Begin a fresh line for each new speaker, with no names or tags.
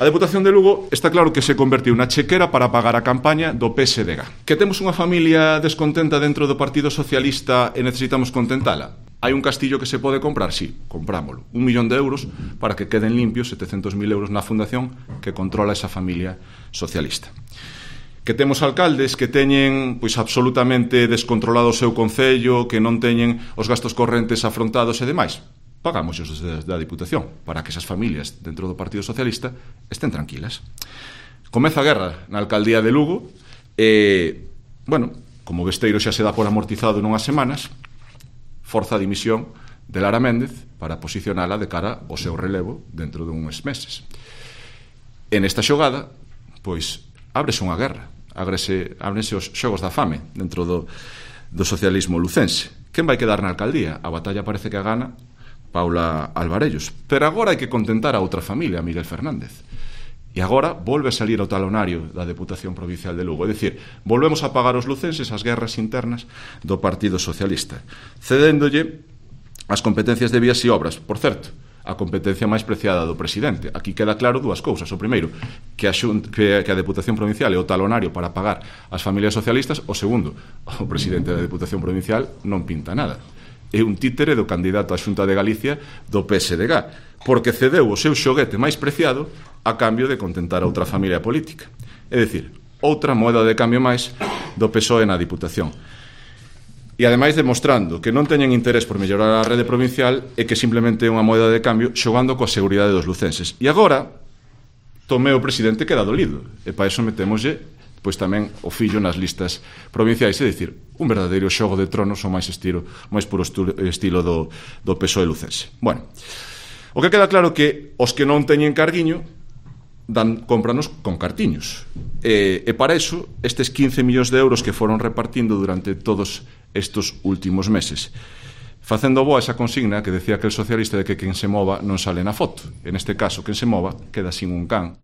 A Deputación de Lugo está claro que se convertiu na chequera para pagar a campaña do PSDG. Que temos unha familia descontenta dentro do Partido Socialista e necesitamos contentala? Hai un castillo que se pode comprar? Sí, comprámolo. 1 millón de euros para que queden limpios 700.000 euros na fundación que controla esa familia socialista. Que temos alcaldes que teñen absolutamente descontrolado o seu concello, que non teñen os gastos correntes afrontados e demais. Pagamos os da Diputación para que esas familias dentro do Partido Socialista estén tranquilas. Comeza a guerra na alcaldía de Lugo e, como Besteiro xa se dá por amortizado nunhas semanas, forza a dimisión de Lara Méndez para posicionala de cara ao seu relevo dentro de uns meses. En esta xogada, ábrese unha guerra, ábrense os xogos da fame dentro do socialismo lucense. Quen vai quedar na alcaldía? A batalla parece que a gana Paula Alvarellos. Pero agora hai que contentar a outra familia, a Miguel Fernández. E agora volve a salir ao talonario da Deputación Provincial de Lugo. É dicir, volvemos a pagar os lucenses as guerras internas do Partido Socialista, cedéndolle as competencias de vías e obras. Por certo, a competencia máis preciada do presidente. Aquí queda claro dúas cousas. O primeiro, que a Deputación Provincial é o talonario para pagar as familias socialistas. O segundo, o presidente da Deputación Provincial non pinta nada. É un títere do candidato á Xunta de Galicia do PSDG, porque cedeu o seu xoguete máis preciado a cambio de contentar a outra familia política. É dicir, outra moeda de cambio máis do PSOE na Diputación. E ademais demostrando que non teñen interés por mellorar a rede provincial e que simplemente é unha moeda de cambio xogando coa seguridade dos lucenses. E agora, Tomé o presidente queda dolido, e para iso metémoslle tamén o fillo nas listas provinciais, é dicir, un verdadeiro xogo de tronos o máis puro estilo do PSOE lucense. O que queda claro que os que non teñen carguiño cómpranos con cartiños. E para iso, estes 15 millóns de euros que foron repartindo durante todos estes últimos meses, facendo boa esa consigna que decía aquel socialista de que quen se mova non sale na foto. En este caso, quen se mova queda sin un can.